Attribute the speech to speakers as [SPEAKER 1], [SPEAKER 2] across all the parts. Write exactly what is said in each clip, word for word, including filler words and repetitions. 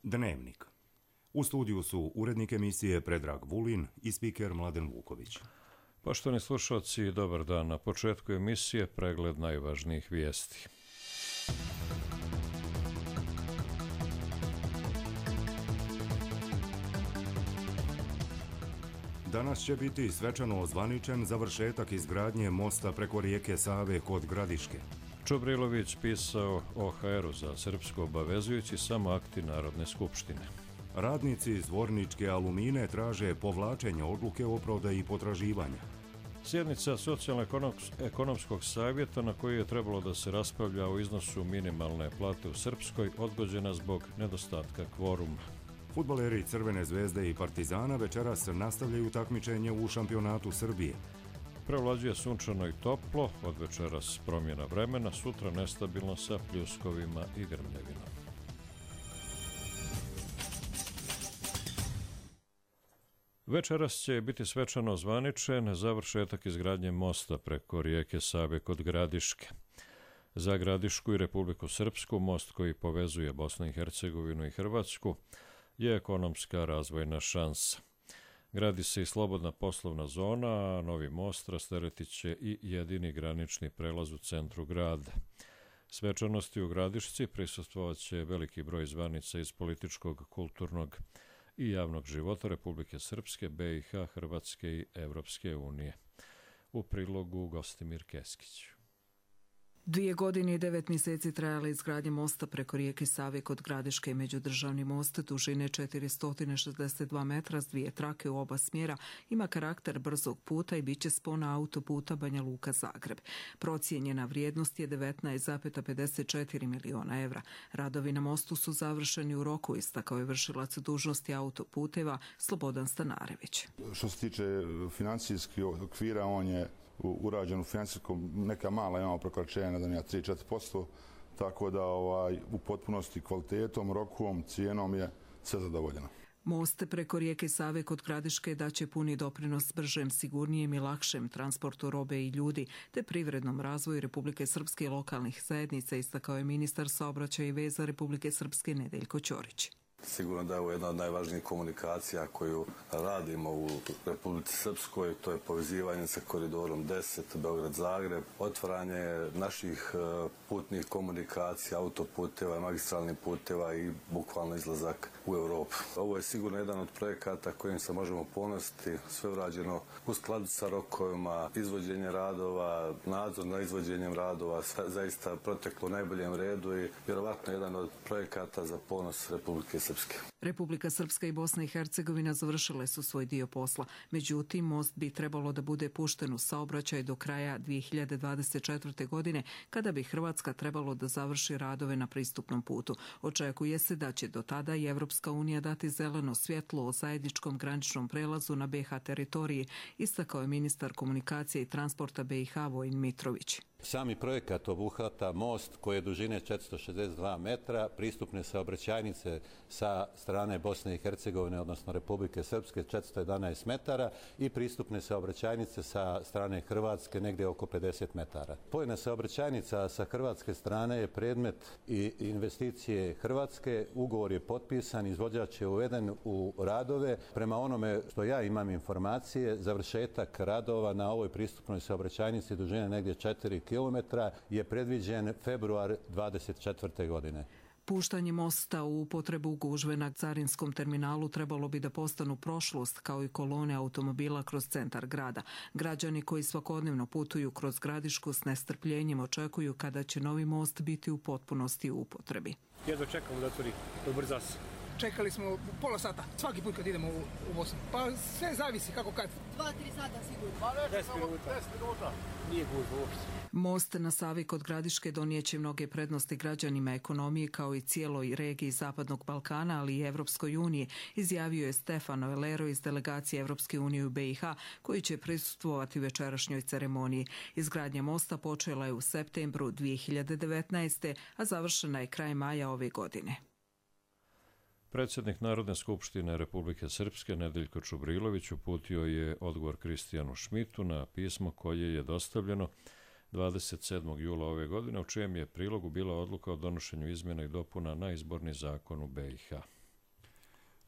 [SPEAKER 1] Dnevnik. U studiju su urednik emisije Predrag Vulin i spiker Mladen Vuković.
[SPEAKER 2] Poštovani slušalci, dobar dan. Na početku emisije pregled najvažnijih vijesti.
[SPEAKER 1] Danas će biti svečano ozvaničen završetak izgradnje mosta preko rijeke Save kod Gradiške.
[SPEAKER 2] Čubrilović pisao o ha eru za Srpsko obavezujući samo akti Narodne skupštine.
[SPEAKER 1] Radnici iz Zvorničke Alumine traže povlačenje odluke o prodaji potraživanja.
[SPEAKER 2] Sjednica Socijalno-ekonomskog savjeta na kojoj je trebalo da se raspravlja o iznosu minimalne plate u Srpskoj odgođena zbog nedostatka kvoruma.
[SPEAKER 1] Fudbaleri Crvene zvezde i Partizana večeras nastavljaju takmičenje u šampionatu Srbije.
[SPEAKER 2] Prevlađuje sunčano i toplo, od večeras promjena vremena, sutra nestabilno sa pljuskovima i grmljevinom. Večeras će biti svečano ozvaničen završetak izgradnje mosta preko rijeke Save kod Gradiške. Za Gradišku i Republiku Srpsku most koji povezuje Bosnu i Hercegovinu i Hrvatsku je ekonomska razvojna šansa. Gradi se i slobodna poslovna zona, a novi most rasteretit će i jedini granični prelaz u centru grada. Svečanosti u Gradišci prisustvovat će veliki broj zvanica iz političkog, kulturnog i javnog života Republike Srpske, be i ha, Hrvatske i Evropske unije. U prilogu Gostimir Keskić.
[SPEAKER 3] Dvije godine i devet mjeseci trajala izgradnja mosta preko rijeke Save kod Gradiške. Međudržavni most dužine četiristo šezdeset dva metra s dvije trake u oba smjera ima karakter brzog puta i bit će spona autoputa Banja Luka-Zagreb. Procijenjena vrijednost je devetnaest zarez pedeset četiri miliona evra. Radovi na mostu su završeni u roku, istakao je vršilac dužnosti autoputeva Slobodan Stanarević.
[SPEAKER 4] Što se tiče financijskih okvira, on je urađen u financijskom, neka mala imamo prekoračenja, ne znam ja, tri do četiri posto, tako da ovaj, u potpunosti kvalitetom, rokom, cijenom je sve zadovoljeno.
[SPEAKER 3] Most preko rijeke Save kod Gradiške daće puni doprinos bržem, sigurnijem i lakšem transportu robe i ljudi, te privrednom razvoju Republike Srpske i lokalnih zajednica, istakao je ministar saobraćaja i veza Republike Srpske Nedeljko Ćorić.
[SPEAKER 5] Sigurno da je ovo jedna od najvažnijih komunikacija koju radimo u Republici Srpskoj, to je povezivanje sa koridorom deset Beograd-Zagreb, otvaranje naših putnih komunikacija, autoputeva, magistralnih puteva i bukvalno izlazak u Europu. Ovo je sigurno jedan od projekata kojim se možemo ponositi, sve urađeno u skladu sa rokovima, izvođenje radova, nadzor na izvođenjem radova, sve zaista proteklo u najboljem redu i vjerovatno jedan od projekata za ponos Republike Srpske.
[SPEAKER 3] Republika Srpska i Bosna i Hercegovina završile su svoj dio posla. Međutim, most bi trebalo da bude pušten u saobraćaj do kraja dvije hiljade dvadeset četvrte. godine, kada bi Hrvatska trebalo da završi radove na pristupnom putu. Očekuje se da će do tada i Evropska unija dati zeleno svjetlo o zajedničkom graničnom prelazu na be ha teritoriji, istakao je ministar komunikacije i transporta be i ha Vojin Mitrović.
[SPEAKER 6] Sami projekat obuhvata most koji je dužine četiristo šezdeset dva metra, pristupne saobraćajnice sa strane Bosne i Hercegovine, odnosno Republike Srpske, četiristo jedanaest metara i pristupne saobraćajnice sa strane Hrvatske negdje oko pedeset metara. Spojna saobraćajnica sa hrvatske strane je predmet i investicije Hrvatske, ugovor je potpisan, izvođač je uveden u radove. Prema onome što ja imam informacije, završetak radova na ovoj pristupnoj saobraćajnici dužine negdje četiri kilometra je predviđen februar dvadeset četvrte. godine.
[SPEAKER 3] Puštanje mosta u upotrebu gužve na carinskom terminalu trebalo bi da postanu prošlost, kao i kolone automobila kroz centar grada. Građani koji svakodnevno putuju kroz Gradišku s nestrpljenjem očekuju kada će novi most biti u potpunosti u upotrebi.
[SPEAKER 7] Jedva čekamo da otvori, ubrza se.
[SPEAKER 8] Čekali smo pola sata, svaki put kad idemo u, u Bosnu. Pa sve zavisi kako kad.
[SPEAKER 9] Dva, tri sata sigurno.
[SPEAKER 7] Deset minuta. Deset minuta. Nije gužva uopšte.
[SPEAKER 3] Most na Savi kod Gradiške donijeće mnoge prednosti građanima, ekonomije kao i cijeloj regiji Zapadnog Balkana, ali i Evropskoj uniji, izjavio je Stefano Elero iz delegacije Evropske unije u be i ha, koji će prisustvovati večerašnjoj ceremoniji. Izgradnja mosta počela je u septembru dvije hiljade devetnaeste. a završena je kraj maja ove godine.
[SPEAKER 2] Predsjednik Narodne skupštine Republike Srpske Nedeljko Čubrilović uputio je odgovor Kristijanu Šmitu na pismo koje je dostavljeno dvadeset sedmog jula ove godine, u čijem je prilogu bila odluka o donošenju izmjena i dopuna na izborni zakon u be i ha.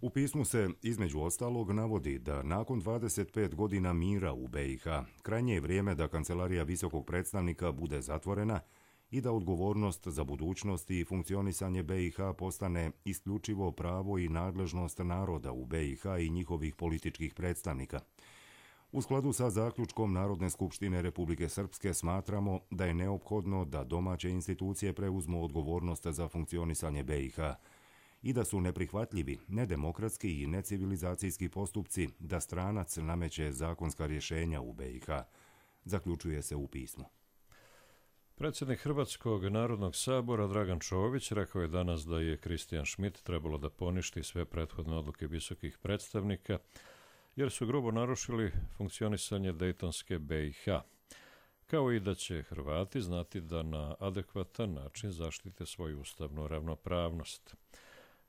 [SPEAKER 1] U pismu se, između ostalog, navodi da nakon dvadeset pet godina mira u be i ha, krajnje je vrijeme da Kancelarija visokog predstavnika bude zatvorena i da odgovornost za budućnost i funkcionisanje be i ha postane isključivo pravo i nadležnost naroda u be i ha i njihovih političkih predstavnika. U skladu sa zaključkom Narodne skupštine Republike Srpske smatramo da je neophodno da domaće institucije preuzmu odgovornost za funkcionisanje be i ha i da su neprihvatljivi, nedemokratski i necivilizacijski postupci da stranac nameće zakonska rješenja u be i ha, zaključuje se u pismu.
[SPEAKER 2] Predsjednik Hrvatskog narodnog sabora Dragan Čović rekao je danas da je Kristijan Schmidt trebalo da poništi sve prethodne odluke visokih predstavnika, jer su grubo narušili funkcionisanje dejtonske be i ha, kao i da će Hrvati znati da na adekvatan način zaštite svoju ustavnu ravnopravnost.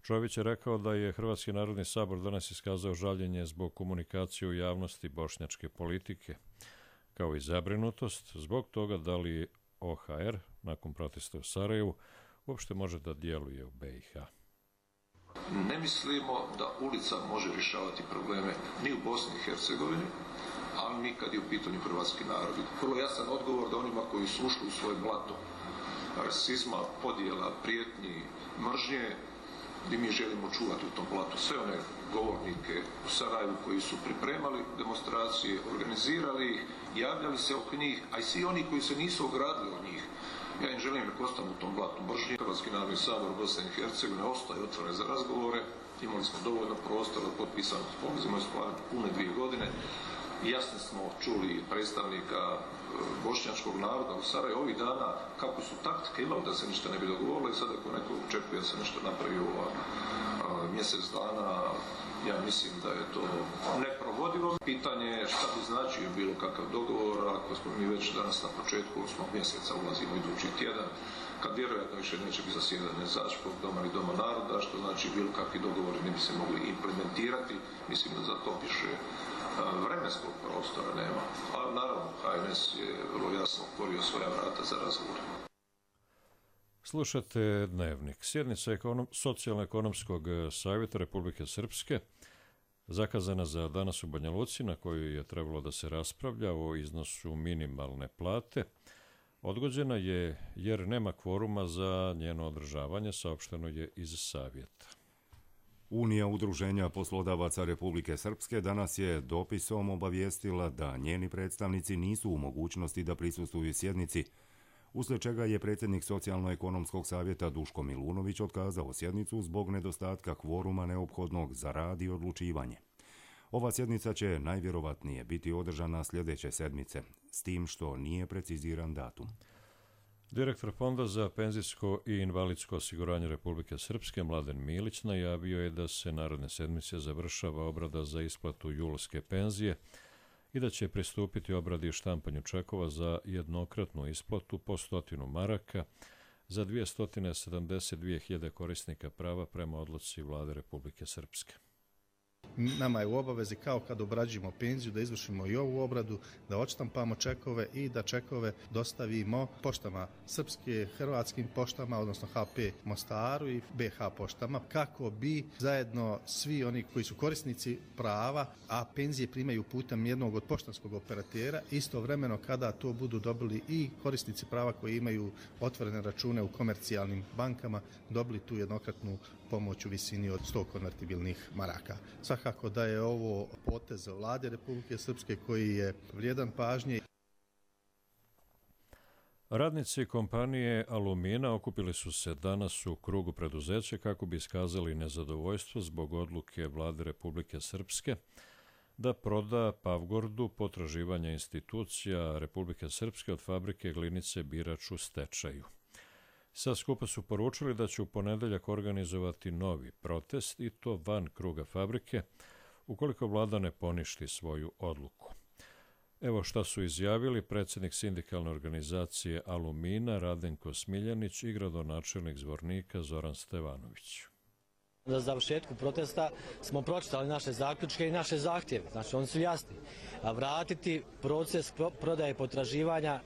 [SPEAKER 2] Čović je rekao da je Hrvatski narodni sabor danas iskazao žaljenje zbog komunikacije u javnosti bošnjačke politike, kao i zabrinutost zbog toga da li o ha er, nakon protesta u Sarajevu, uopšte može da djeluje u be i ha.
[SPEAKER 9] Ne mislimo da ulica može rješavati probleme ni u Bosni i Hercegovini, ali ni kad je u pitanju hrvatski narod. Vrlo jasan odgovor da onima koji su ušli u svoje blato rasizma, podjela, prijetnji, mržnje, gdje mi želimo čuvati u tom blatu sve one govornike u Sarajevu koji su pripremali demonstracije, organizirali ih, javljali se oko njih, a i svi oni koji se nisu ogradili od njih. Ja im želim da ostanu u tom blatu mržnje. Hrvatski narodni sabor Bosne i Hercegovine ostaje otvoren za razgovore. Imali smo dovoljno prostora, potpisano sporazum iz pune dvije godine. Jasno smo čuli predstavnika bošnjačkog naroda u Sarajevu ovih dana kako su taktike imali da se ništa ne bi dogovorilo i sad ako neko očekuje da se nešto napravi u mjesec dana, ja mislim da je to neprovodivo. Pitanje je šta bi značio bilo kakav dogovor, ako smo mi već danas na početku osmog mjeseca ulazimo idući tjedan, kad vjerojatno više neće biti zasjedanje Začkog doma ili Doma naroda, što znači bilo kakvi dogovori ne bi se mogli implementirati. Mislim da za to više vremenskog prostora nema. A naravno, ha en es je vrlo jasno otvorio svoja vrata za razgovor.
[SPEAKER 2] Slušate Dnevnik. Sjednica ekonom, Socijalno-ekonomskog savjeta Republike Srpske zakazana za danas u Banja Luci, na kojoj je trebalo da se raspravlja o iznosu minimalne plate, odgođena je jer nema kvoruma za njeno održavanje, saopšteno je iz savjeta.
[SPEAKER 1] Unija udruženja poslodavaca Republike Srpske danas je dopisom obavijestila da njeni predstavnici nisu u mogućnosti da prisustvuju sjednici, uslijed čega je predsjednik Socijalno-ekonomskog savjeta Duško Milunović otkazao sjednicu zbog nedostatka kvoruma neophodnog za rad i odlučivanje. Ova sjednica će najvjerovatnije biti održana sljedeće sedmice, s tim što nije preciziran datum.
[SPEAKER 2] Direktor Fonda za penzijsko i invalidsko osiguranje Republike Srpske Mladen Milić najavio je da se naredne sedmice završava obrada za isplatu julske penzije i da će pristupiti obradi i štampanju čekova za jednokratnu isplatu po stotinu maraka za dvjesto sedamdeset dvije hiljade korisnika prava prema odluci Vlade Republike Srpske.
[SPEAKER 10] Nama je u obavezi, kao kad obrađujemo penziju, da izvršimo i ovu obradu, da odštampamo čekove i da čekove dostavimo poštama srpske, hrvatskim poštama, odnosno ha pe Mostaru i be ha poštama, kako bi zajedno svi oni koji su korisnici prava, a penzije primaju putem jednog od poštanskog operatera, istovremeno kada to budu dobili i korisnici prava koji imaju otvorene račune u komercijalnim bankama, dobili tu jednokratnu pomoć u visini od sto konvertibilnih maraka. Svakako da je ovo potez Vlade Republike Srpske koji je vrijedan pažnje.
[SPEAKER 2] Radnici kompanije Alumina okupili su se danas u krugu preduzeća kako bi iskazali nezadovoljstvo zbog odluke Vlade Republike Srpske da proda Pavgordu potraživanja institucija Republike Srpske od fabrike glinice Birač u stečaju. Sa skupa su poručili da će u ponedeljak organizovati novi protest i to van kruga fabrike ukoliko vlada ne poništi svoju odluku. Evo šta su izjavili predsjednik sindikalne organizacije Alumina Radenko Smiljanić i gradonačelnik Zvornika Zoran Stevanović.
[SPEAKER 11] Za završetku protesta smo pročitali naše zaključke i naše zahtjeve, znači oni su jasni. A vratiti proces prodaje potraživanja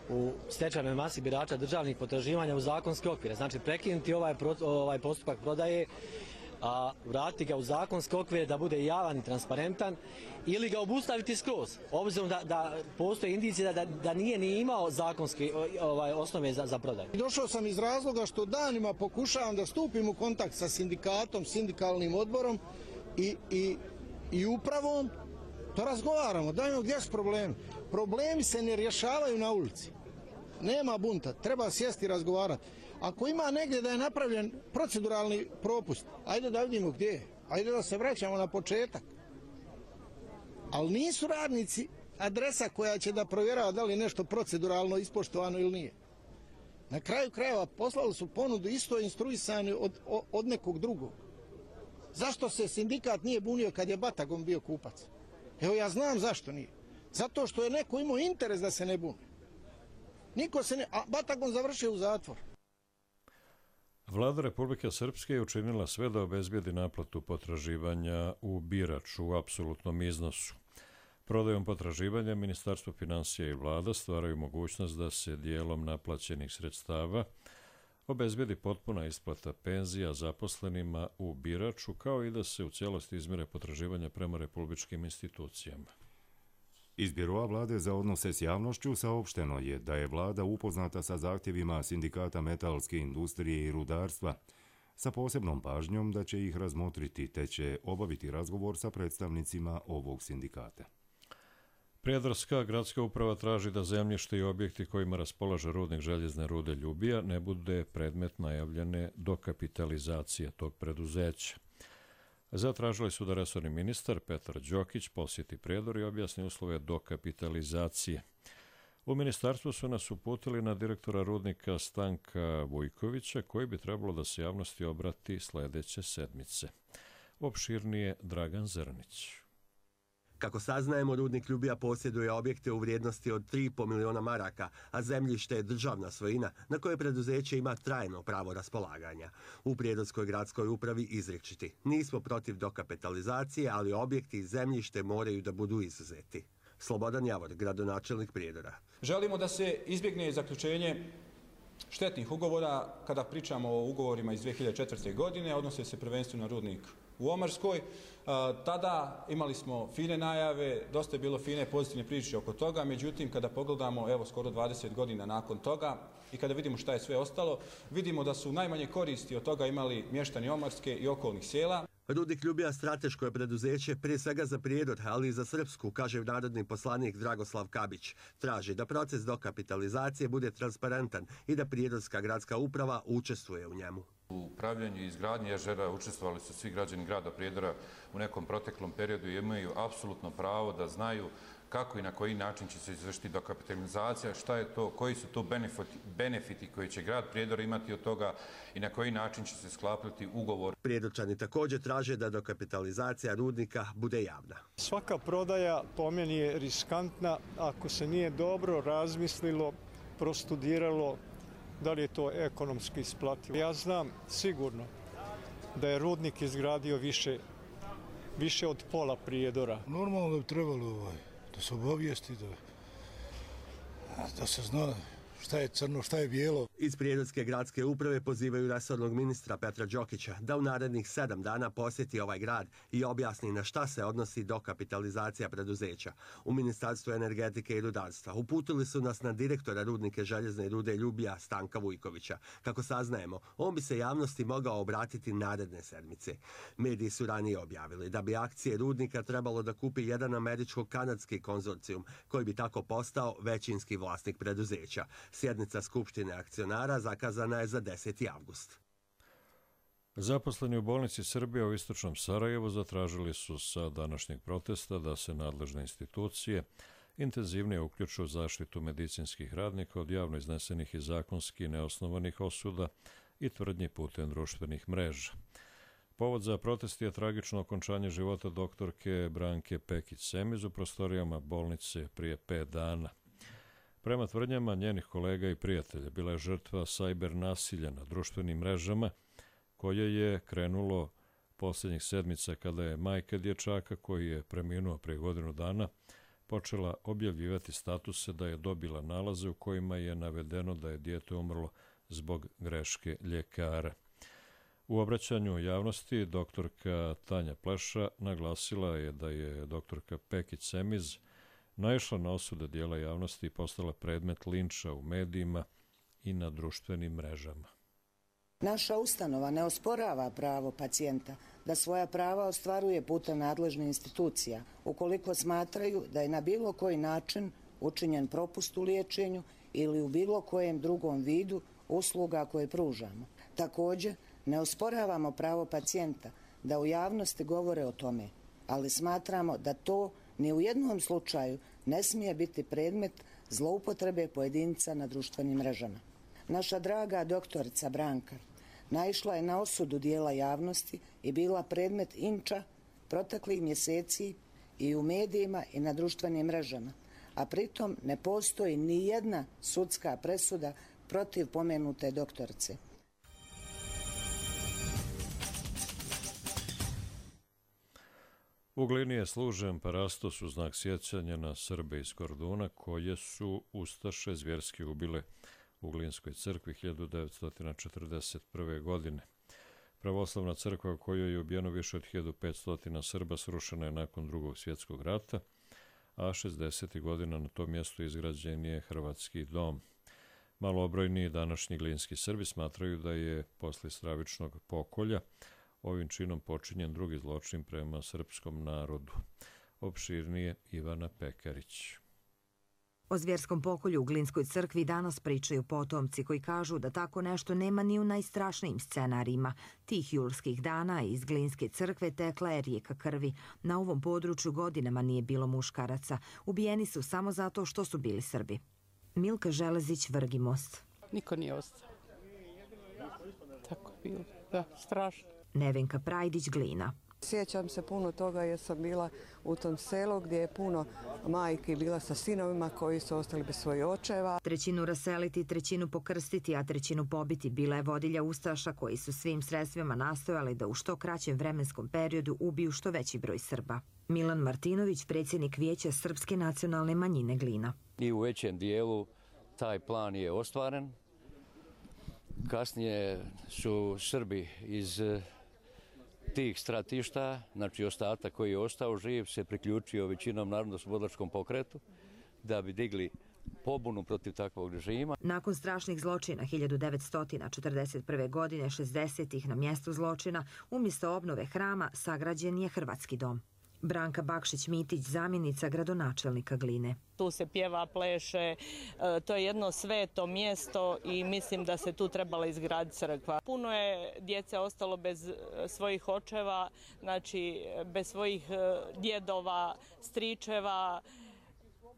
[SPEAKER 11] u stečajnoj masi birača državnih potraživanja u zakonske okvire. Znači prekinuti ovaj, ovaj postupak prodaje a vratiti ga u zakonske okvire da bude javan i transparentan ili ga obustaviti skroz, obzirom da, da postoje indicije da, da nije ni imao zakonske ovaj, osnove za, za prodaju.
[SPEAKER 12] Došao sam iz razloga što danima pokušavam da stupim u kontakt sa sindikatom, sindikalnim odborom i, i, i upravom, da razgovaramo, dajmo gdje su problemi. Problemi se ne rješavaju na ulici. Nema bunta, treba sjesti i razgovarati. Ako ima negdje da je napravljen proceduralni propust, ajde da vidimo gdje je. Ajde da se vraćamo na početak. Ali nisu radnici adresa koja će da provjerava da li je nešto proceduralno ispoštovano ili nije. Na kraju krajeva poslali su ponudu isto instruisani od, od nekog drugog. Zašto se sindikat nije bunio kad je Batagon bio kupac? Evo ja znam zašto nije. Zato što je neko imao interes da se ne buni. Niko se ne... A Batagon završio u zatvor.
[SPEAKER 2] Vlada Republike Srpske je učinila sve da obezbijedi naplatu potraživanja u Biraču u apsolutnom iznosu. Prodajom potraživanja Ministarstvo finansija i vlada stvaraju mogućnost da se dijelom naplaćenih sredstava obezbijedi potpuna isplata penzija zaposlenima u Biraču, kao i da se u cijelosti izmire potraživanja prema republičkim institucijama.
[SPEAKER 1] Iz Biroa vlade za odnose s javnošću saopšteno je da je vlada upoznata sa zahtjevima sindikata metalske industrije i rudarstva, sa posebnom pažnjom da će ih razmotriti te će obaviti razgovor sa predstavnicima ovog sindikata.
[SPEAKER 2] Prijedarska gradska uprava traži da zemljište i objekti kojima raspolaže rudnik željezne rude Ljubija ne bude predmet najavljene dokapitalizacije tog preduzeća. Zatražili su da resorni ministar Petar Đokić posjeti Prijedor i objasni uslove dokapitalizacije. U ministarstvu su nas uputili na direktora rudnika Stanka Vujkovića, koji bi trebalo da se javnosti obrati sljedeće sedmice. Opširnije Dragan Zrnić.
[SPEAKER 13] Kako saznajemo, rudnik Ljubija posjeduje objekte u vrijednosti od tri i pol miliona maraka, a zemljište je državna svojina na koje preduzeće ima trajno pravo raspolaganja. U Prijedorskoj gradskoj upravi izričiti: nismo protiv dokapitalizacije, ali objekti i zemljište moraju da budu izuzeti. Slobodan Javor, gradonačelnik Prijedora.
[SPEAKER 14] Želimo da se izbjegne zaključenje štetnih ugovora kada pričamo o ugovorima iz dvije hiljade četvrte. godine, odnose se prvenstveno na rudnik u Omarskoj. Tada imali smo fine najave, dosta je bilo fine pozitivne priče oko toga, međutim kada pogledamo evo skoro dvadeset godina nakon toga i kada vidimo šta je sve ostalo, vidimo da su najmanje koristi od toga imali mještani Omarske i okolnih sela.
[SPEAKER 13] Rudnik Ljubija strateško je preduzeće prije svega za Prijedor, ali i za Srpsku, kaže narodni poslanik Dragoslav Kabić. Traži da proces dokapitalizacije bude transparentan i da Prijedorska gradska uprava učestvuje u njemu.
[SPEAKER 15] U upravljanju i izgradnji jezera učestvovali su svi građani grada Prijedora u nekom proteklom periodu i imaju apsolutno pravo da znaju kako i na koji način će se izvršiti dokapitalizacija, šta je to, koji su to benefiti, benefiti koji će grad Prijedor imati od toga i na koji način će se sklapati ugovor.
[SPEAKER 13] Prijedorčani također traže da dokapitalizacija rudnika bude javna.
[SPEAKER 16] Svaka prodaja po meni je riskantna ako se nije dobro razmislilo, prostudiralo da li je to ekonomski isplativo. Ja znam sigurno da je rudnik izgradio više, više od pola Prijedora.
[SPEAKER 17] Normalno da bi trebalo ovaj, da se obavijesti, da, da se zna šta je crno, šta je bijelo.
[SPEAKER 13] Iz Prijedorske gradske uprave pozivaju resornog ministra Petra Đokića da u narednih sedam dana posjeti ovaj grad i objasni na šta se odnosi dokapitalizacija preduzeća. U Ministarstvu energetike i rudarstva uputili su nas na direktora rudnike željezne rude Ljubija Stanka Vujkovića. Kako saznajemo, on bi se javnosti mogao obratiti naredne sedmice. Mediji su ranije objavili da bi akcije rudnika trebalo da kupi jedan američko-kanadski konzorcijum koji bi tako postao većinski vlasnik preduzeća. Sjednica Skupštine akcionara zakazana je za deseti avgust.
[SPEAKER 2] Zaposleni u bolnici Srbije u istočnom Sarajevu zatražili su sa današnjeg protesta da se nadležne institucije intenzivnije uključuju u zaštitu medicinskih radnika od javno iznesenih i zakonski neosnovanih osuda i tvrdnji putem društvenih mreža. Povod za protest je tragično okončanje života doktorke Branke Pekić-Semiz u prostorijama bolnice prije pet dana. Prema tvrdnjama njenih kolega i prijatelja, bila je žrtva sajber nasilja na društvenim mrežama, koje je krenulo posljednjih sedmica kada je majka dječaka, koji je preminuo prije godinu dana, počela objavljivati statuse da je dobila nalaze u kojima je navedeno da je dijete umrlo zbog greške ljekara. U obraćanju javnosti doktorka Tanja Pleša naglasila je da je doktorka Pekić Semiz naišla na osude dijela javnosti i postala predmet linča u medijima i na društvenim mrežama.
[SPEAKER 18] Naša ustanova ne osporava pravo pacijenta da svoja prava ostvaruje putem nadležnih institucija, ukoliko smatraju da je na bilo koji način učinjen propust u liječenju ili u bilo kojem drugom vidu usluga koje pružamo. Također, ne osporavamo pravo pacijenta da u javnosti govore o tome, ali smatramo da to ni u jednom slučaju ne smije biti predmet zloupotrebe pojedinca na društvenim mrežama. Naša draga doktorica Branka naišla je na osudu dijela javnosti i bila predmet inča proteklih mjeseci i u medijima i na društvenim mrežama, a pritom ne postoji ni jedna sudska presuda protiv pomenute doktorice.
[SPEAKER 2] U Glini je služen parastos u znak sjećanja na Srbe iz Korduna koje su ustaše zvjerski ubile u Glinskoj crkvi hiljadu devetsto četrdeset prve. godine. Pravoslavna crkva u kojoj je ubijeno više od hiljadu petsto Srba srušena je nakon Drugog svjetskog rata, a šezdesetih godina na tom mjestu izgrađen je Hrvatski dom. Malobrojni današnji glinski Srbi smatraju da je posle stravičnog pokolja ovim činom počinjen drugi zločin prema srpskom narodu. Opširnije Ivana Pekarić.
[SPEAKER 19] O zvjerskom pokolju u Glinskoj crkvi danas pričaju potomci koji kažu da tako nešto nema ni u najstrašnijim scenarijima. Tih julskih dana iz Glinske crkve tekla je rijeka krvi. Na ovom području godinama nije bilo muškaraca. Ubijeni su samo zato što su bili Srbi. Milka Železić, Vrgimost.
[SPEAKER 20] Niko nije ostao. Tako je bilo. Da, strašno.
[SPEAKER 19] Nevenka Prajdić, Glina.
[SPEAKER 20] Sjećam se puno toga jer sam bila u tom selu gdje je puno majki bila sa sinovima koji su ostali bez svojih očeva.
[SPEAKER 19] Trećinu raseliti, trećinu pokrstiti, a trećinu pobiti bila je vodilja ustaša koji su svim sredstvima nastojali da u što kraćem vremenskom periodu ubiju što veći broj Srba. Milan Martinović, predsjednik Vijeća Srpske nacionalne manjine Glina.
[SPEAKER 21] I u većem dijelu taj plan je ostvaren. Kasnije su Srbi iz tih stratišta, znači ostatak koji je ostao živ, se priključio većinom narodno-slobodilačkom pokretu da bi digli pobunu protiv takvog režima.
[SPEAKER 19] Nakon strašnih zločina hiljadu devetsto četrdeset prve. godine, šezdesetih na mjestu zločina, umjesto obnove hrama sagrađen je Hrvatski dom. Branka Bakšić-Mitić, zamjenica gradonačelnika Gline.
[SPEAKER 22] Tu se pjeva, pleše, to je jedno sveto mjesto i mislim da se tu trebala izgraditi crkva. Puno je djece ostalo bez svojih očeva, znači bez svojih djedova, stričeva.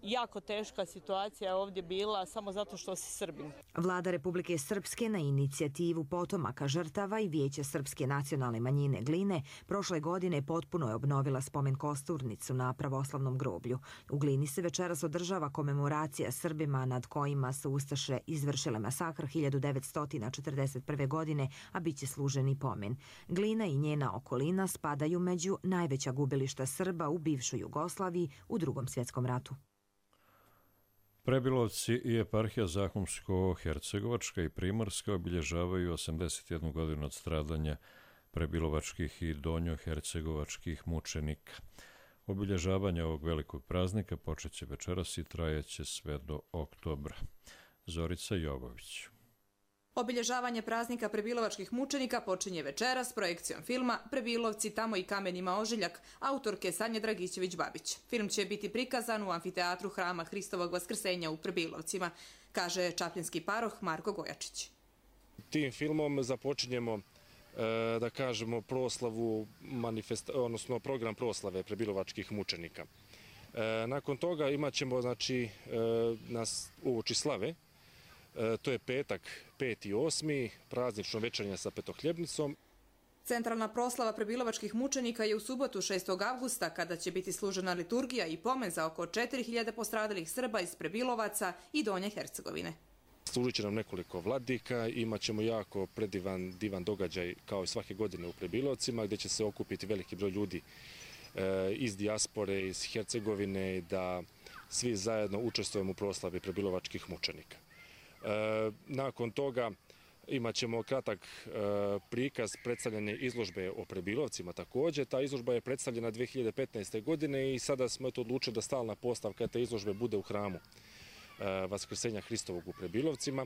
[SPEAKER 22] Jako teška situacija je ovdje bila samo zato što si Srbin.
[SPEAKER 19] Vlada Republike Srpske na inicijativu potomaka žrtava i Vijeća Srpske nacionalne manjine Gline prošle godine potpuno je obnovila spomen kosturnicu na pravoslavnom groblju. U Glini se večeras održava komemoracija Srbima nad kojima su ustaše izvršile masakr hiljadu devetsto četrdeset prve. godine, a bit će služeni pomen. Glina i njena okolina spadaju među najveća gubilišta Srba u bivšoj Jugoslaviji u Drugom svjetskom ratu.
[SPEAKER 2] Prebilovci i eparhija Zahumsko-Hercegovačka i Primorska obilježavaju osamdeset jednu godinu od stradanja prebilovačkih i donjohercegovačkih mučenika. Obilježavanje ovog velikog praznika počeće večeras i trajeće sve do oktobra. Zorica Jovović.
[SPEAKER 23] Obilježavanje praznika prebilovačkih mučenika počinje večeras projekcijom filma Prebilovci, tamo i kamenima ožiljak, autorke Sanje Dragićević-Babić. Film će biti prikazan u amfiteatru Hrama Hristovog Vaskrsenja u Prebilovcima, kaže čapljinski paroh Marko Gojačić.
[SPEAKER 24] Tim filmom započinjemo, da kažemo, proslavu, odnosno program proslave prebilovačkih mučenika. Nakon toga imat ćemo, znači, nas uoči slave. To je petak, peti osmi, praznično večernje sa petohljebnicom.
[SPEAKER 23] Centralna proslava prebilovačkih mučenika je u subotu šestog avgusta, kada će biti služena liturgija i pomen za oko četiri hiljade postradalih Srba iz Prebilovaca i Donje Hercegovine.
[SPEAKER 24] Služit će nam nekoliko vladika, imat ćemo jako predivan, divan događaj kao i svake godine u Prebilovcima, gdje će se okupiti veliki broj ljudi iz dijaspore, iz Hercegovine, da svi zajedno učestvujemo u proslavi prebilovačkih mučenika. Nakon toga Imaćemo kratak e, prikaz predstavljanja izložbe o Prebilovcima također. Ta izložba je predstavljena dvije hiljade petnaeste. godine i sada smo eto odlučili da stalna postavka te izložbe bude u hramu e, Vaskrsenja Hristovog u Prebilovcima.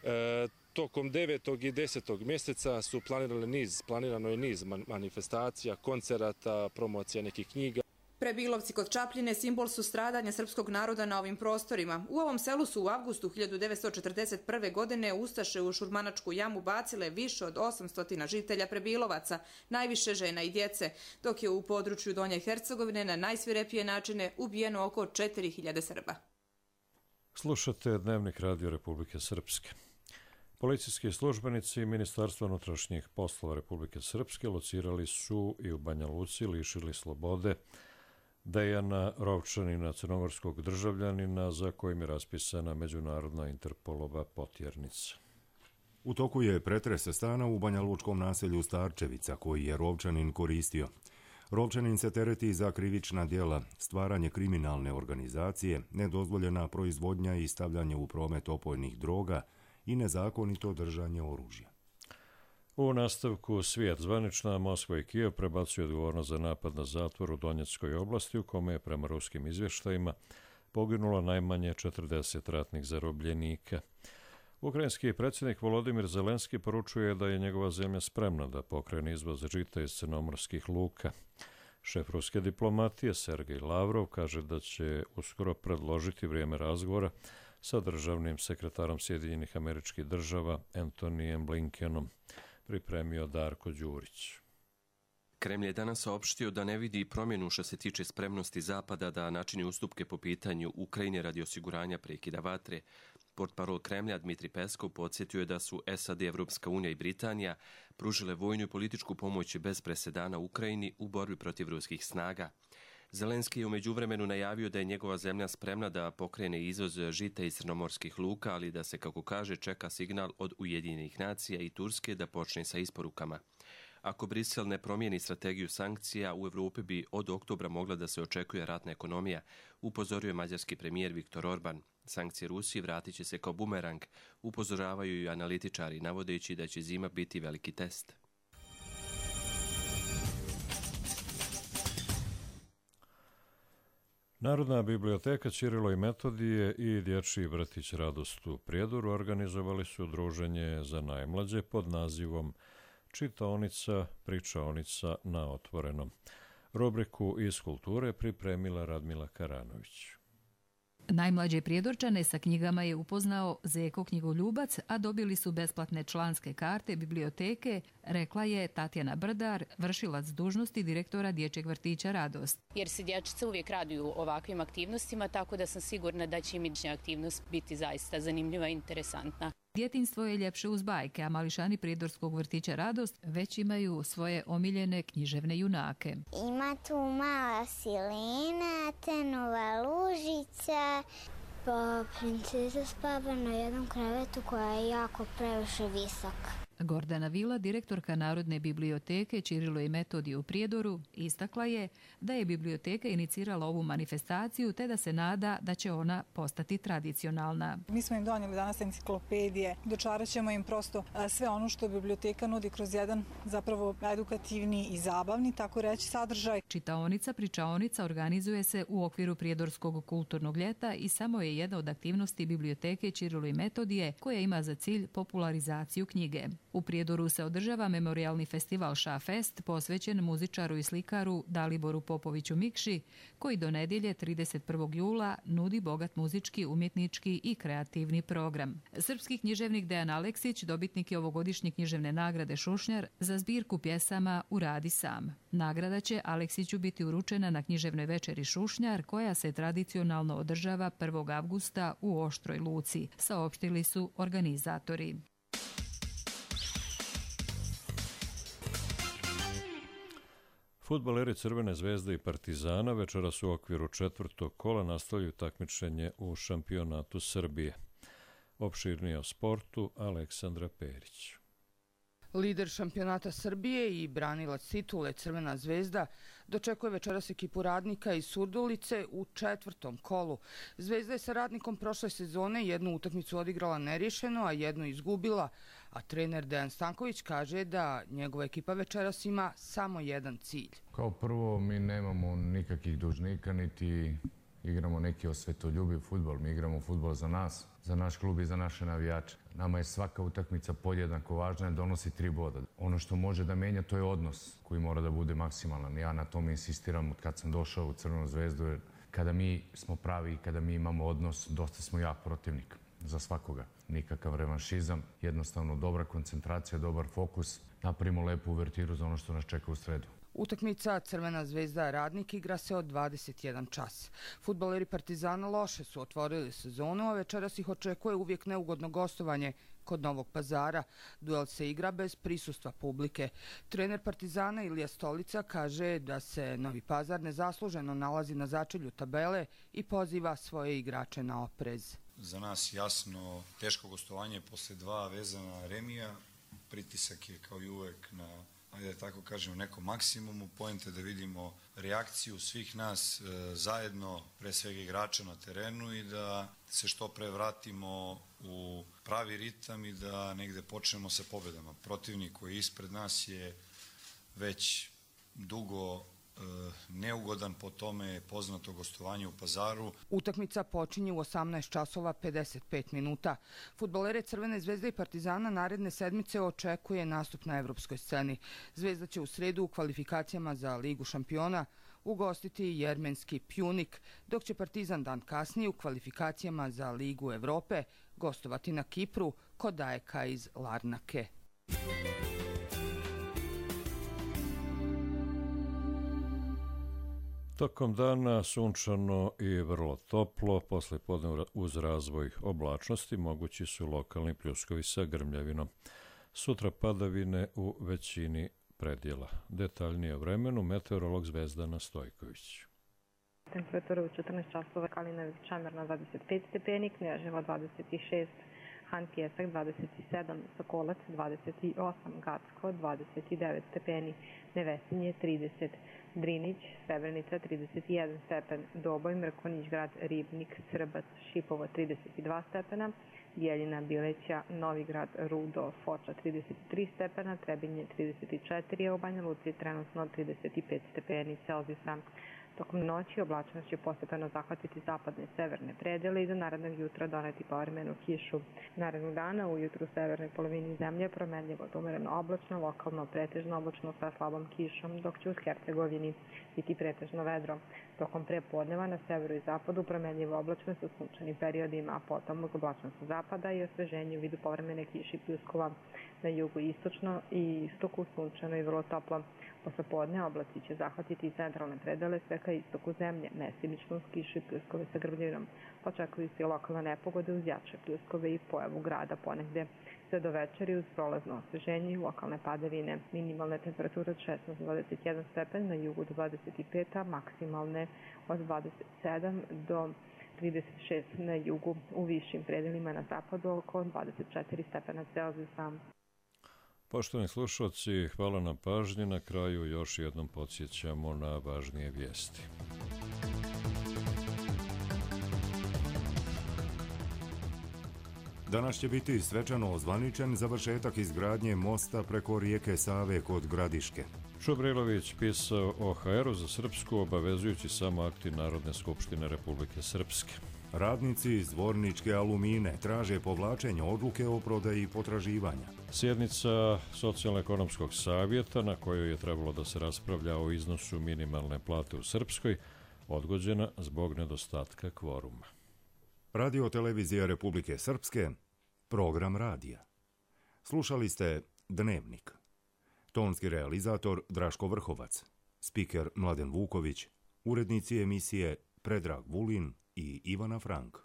[SPEAKER 24] E, tokom devetog i desetog mjeseca su planirali niz, planirano je niz manifestacija, koncerata, promocija nekih knjiga.
[SPEAKER 23] Prebilovci kod Čapljine simbol su stradanja srpskog naroda na ovim prostorima. U ovom selu su u avgustu hiljadu devetsto četrdeset prve. godine ustaše u Šurmanačku jamu bacile više od osamsto žitelja Prebilovaca, najviše žena i djece, dok je u području Donje Hercegovine na najsvirepije načine ubijeno oko četiri hiljade Srba.
[SPEAKER 2] Slušate Dnevnik Radio Republike Srpske. Policijski službenici Ministarstva unutrašnjih poslova Republike Srpske locirali su i u Banja Luci lišili slobode Dejana Rovčanina, crnogorskog državljanina za kojim je raspisana međunarodna Interpolova potjernica.
[SPEAKER 1] U toku je pretres stana u banjalučkom naselju Starčevica koji je Rovčanin koristio. Rovčanin se tereti za krivična djela, stvaranje kriminalne organizacije, nedozvoljena proizvodnja i stavljanje u promet opojnih droga i nezakonito držanje oružja.
[SPEAKER 2] U nastavku svijet zvanična Moskva i Kijev prebacuju odgovornost za napad na zatvor u Donjeckoj oblasti u kome je prema ruskim izvještajima poginulo najmanje četrdeset ratnih zarobljenika. Ukrajinski predsjednik Volodimir Zelenski poručuje da je njegova zemlja spremna da pokrene izvoz žita iz crnomorskih luka. Šef ruske diplomatije Sergej Lavrov kaže da će uskoro predložiti vrijeme razgovora sa državnim sekretarom Sjedinjenih Američkih Država Antonijem Blinkenom, pripremio Darko Đurić.
[SPEAKER 4] Kremlj je danas saopštio da ne vidi promjenu što se tiče spremnosti Zapada da načini ustupke po pitanju Ukrajine radi osiguranja prekida vatre. Portparol Kremlja Dmitri Peskov podsjetio je da su S A D, Evropska unija i Britanija pružile vojnu i političku pomoć bez presedana Ukrajini u borbi protiv ruskih snaga. Zelenski je u međuvremenu najavio da je njegova zemlja spremna da pokrene izvoz žita iz crnomorskih luka, ali da se, kako kaže, čeka signal od Ujedinjenih nacija i Turske da počne sa isporukama. Ako Brisel ne promijeni strategiju sankcija, u Evropi bi od oktobra mogla da se očekuje ratna ekonomija, upozorio je mađarski premijer Viktor Orban. Sankcije Rusiji vratit će se kao bumerang, upozoravaju i analitičari, navodeći da će zima biti veliki test.
[SPEAKER 2] Narodna biblioteka Ćirilo i Metodije i Dječji vrtić Radost u Prijedoru organizovali su druženje za najmlađe pod nazivom Čitaonica, pričaonica na otvorenom. Rubriku iz kulture pripremila Radmila Karanović.
[SPEAKER 5] Najmlađe Prijedorčane sa knjigama je upoznao Zeko knjigoljubac, a dobili su besplatne članske karte biblioteke, rekla je Tatjana Brdar, vršilac dužnosti direktora Dječjeg vrtića Radost.
[SPEAKER 6] Jer se dječice uvijek raduju ovakvim aktivnostima, tako da sam sigurna da će im iduća aktivnost biti zaista zanimljiva i interesantna.
[SPEAKER 5] Djetinjstvo je ljepše uz bajke, a mališani Prijedorskog vrtića Radost već imaju svoje omiljene književne junake.
[SPEAKER 8] Ima tu mala Silena, Tenova Lužica, pa princeza spava na jednom krevetu koja je jako previše visoka.
[SPEAKER 5] Gordana Vila, direktorka Narodne biblioteke Ćirilo i Metodije u Prijedoru, istakla je da je biblioteka inicirala ovu manifestaciju te da se nada da će ona postati tradicionalna.
[SPEAKER 25] Mi smo im donijeli danas enciklopedije, dočarat ćemo im prosto sve ono što biblioteka nudi kroz jedan zapravo edukativni i zabavni, tako reći, sadržaj.
[SPEAKER 5] Čitaonica, pričaonica organizuje se u okviru Prijedorskog kulturnog ljeta i samo je jedna od aktivnosti biblioteke Ćirilo i Metodije koja ima za cilj popularizaciju knjige. U Prijedoru se održava memorijalni festival Šafest posvećen muzičaru i slikaru Daliboru Popoviću Mikši, koji do nedjelje trideset prvog jula nudi bogat muzički, umjetnički i kreativni program. Srpski književnik Dejan Aleksić dobitnik je ovogodišnje književne nagrade Šušnjar za zbirku pjesama Uradi sam. Nagrada će Aleksiću biti uručena na književnoj večeri Šušnjar koja se tradicionalno održava prvog avgusta u Oštroj Luci, saopštili su organizatori.
[SPEAKER 2] Fudbaleri Crvene zvezde i Partizana večeras u okviru četvrtog kola nastavljaju takmičenje u šampionatu Srbije. Opširnije o sportu Aleksandra Perić.
[SPEAKER 3] Lider šampionata Srbije i branilac titule Crvena zvezda dočekuje večeras ekipu Radnika iz Surdulice u četvrtom kolu. Zvezda je sa Radnikom prošle sezone jednu utakmicu odigrala neriješeno, a jednu izgubila, a trener Dejan Stanković kaže da njegova ekipa večeras ima samo jedan cilj.
[SPEAKER 7] Kao prvo, mi nemamo nikakvih dužnika, niti igramo neki osvetoljubiv fudbal. Mi igramo fudbal za nas, za naš klub i za naše navijače. Nama je svaka utakmica podjednako važna, donosi tri boda. Ono što može da menja, to je odnos koji mora da bude maksimalan. Ja na tome insistiram od kad sam došao u Crvenu zvezdu, jer kada mi smo pravi i kada mi imamo odnos, dosta smo jak protivnik za svakoga. Nikakav revanšizam, jednostavno dobra koncentracija, dobar fokus. Napravimo lepu uvertiru za ono što nas čeka u sredu.
[SPEAKER 3] Utakmica Crvena zvezda Radnik igra se od dvadeset jedan čas. Fudbaleri Partizana loše su otvorili sezonu, a večeras ih očekuje uvijek neugodno gostovanje kod Novog Pazara. Duel se igra bez prisustva publike. Trener Partizana Ilija Stolica kaže da se Novi Pazar nezasluženo nalazi na začelju tabele i poziva svoje igrače na oprez.
[SPEAKER 9] Za nas jasno teško gostovanje posle dva vezana remija. Pritisak je kao i uvek na, ajde da tako kažemo, nekom maksimumu. Poenta je da vidimo reakciju svih nas e, zajedno, pre svega igrača na terenu, i da se što pre vratimo u pravi ritam i da negde počnemo sa pobedama. Protivnik koji je ispred nas je već dugo neugodan, po tome je poznato gostovanje u Pazaru.
[SPEAKER 3] Utakmica počinje u osamnaest časova pedeset pet minuta. Fudbalere Crvene zvezde i Partizana naredne sedmice očekuje nastup na evropskoj sceni. Zvezda će u sredu u kvalifikacijama za Ligu šampiona ugostiti jermenski Pjunik, dok će Partizan dan kasnije u kvalifikacijama za Ligu Evrope gostovati na Kipru kod A E K iz Larnake.
[SPEAKER 2] Tokom dana sunčano i vrlo toplo, posle podne uz razvoj oblačnosti mogući su lokalni pljuskovi sa grmljavinom. Sutra padavine u većini predjela. Detaljnije o vremenu meteorolog Zvezdana Stojković.
[SPEAKER 10] Temperatura u četrnaest časova, Kalina Čamerna dvadeset pet stepeni, Knjaževo dvadeset šest, Han Pjesak dvadeset sedam, Sokolac dvadeset osam, Gacko dvadeset devet stepeni, Nevesinje trideset, Drinić, Srebrenica trideset jedan stepen, Doboj, Mrkonjić Grad, Ribnik, Srbac, Šipovo trideset dva stepena, Bjeljina, Bileća, Novi Grad, Rudo, Foča trideset tri stepena, Trebinje trideset četiri, a u Banja Luci trenutno trideset pet stepeni Celzijusa. Tokom noći oblačnost će postepeno zahvatiti zapadne i severne predele i do narednog jutra doneti povremenu kišu. Narednog dana ujutru u severnoj polovini zemlje promenljivo do umereno oblačno, lokalno pretežno oblačno sa slabom kišom, dok će u Hercegovini biti pretežno vedro. Tokom prepodneva na severu i zapadu promenljivo oblačno sa sunčanim periodima, a potom uz oblačnost zapada i osveženje u vidu povremene kiše i pljuskova. Na jugu istočno i istoku sunčano i vrlo toplo. Posle podne oblaci će zahvatiti centralne predele sve ka istoku zemlje, mestimično uz kiše i pljuskove sa grmljavinom. Očekuju se i lokalne nepogode uz jače pljuskove i pojavu grada ponegde. Sve do večeri uz prolazno osveženje i lokalne padavine. Minimalne temperature od šesnaest do dvadeset jedan stepen, na jugu do dvadeset pet, a maksimalne od dvadeset sedam do trideset šest na jugu, u višim predelima na zapadu oko dvadeset četiri stepena Celzijusa.
[SPEAKER 2] Poštovani slušalci, hvala na pažnji. Na kraju još jednom podsjećamo na važnije vijesti.
[SPEAKER 1] Danas će biti svečano ozvaničen završetak izgradnje mosta preko rijeke Save kod Gradiške.
[SPEAKER 2] Šubrilović pisao o ha eru za Srpsku, obavezujući samo akti Narodne skupštine Republike Srpske.
[SPEAKER 1] Radnici iz Zvorničke Alumine traže povlačenje odluke o prodaji potraživanja.
[SPEAKER 2] Sjednica Socijalno-ekonomskog savjeta, na kojoj je trebalo da se raspravlja o iznosu minimalne plate u Srpskoj, odgođena zbog nedostatka kvoruma.
[SPEAKER 1] Radio televizija Republike Srpske, program radija. Slušali ste Dnevnik. Tonski realizator Draško Vrhovac, spiker Mladen Vuković, urednici emisije Predrag Vulin i Ivana Frank.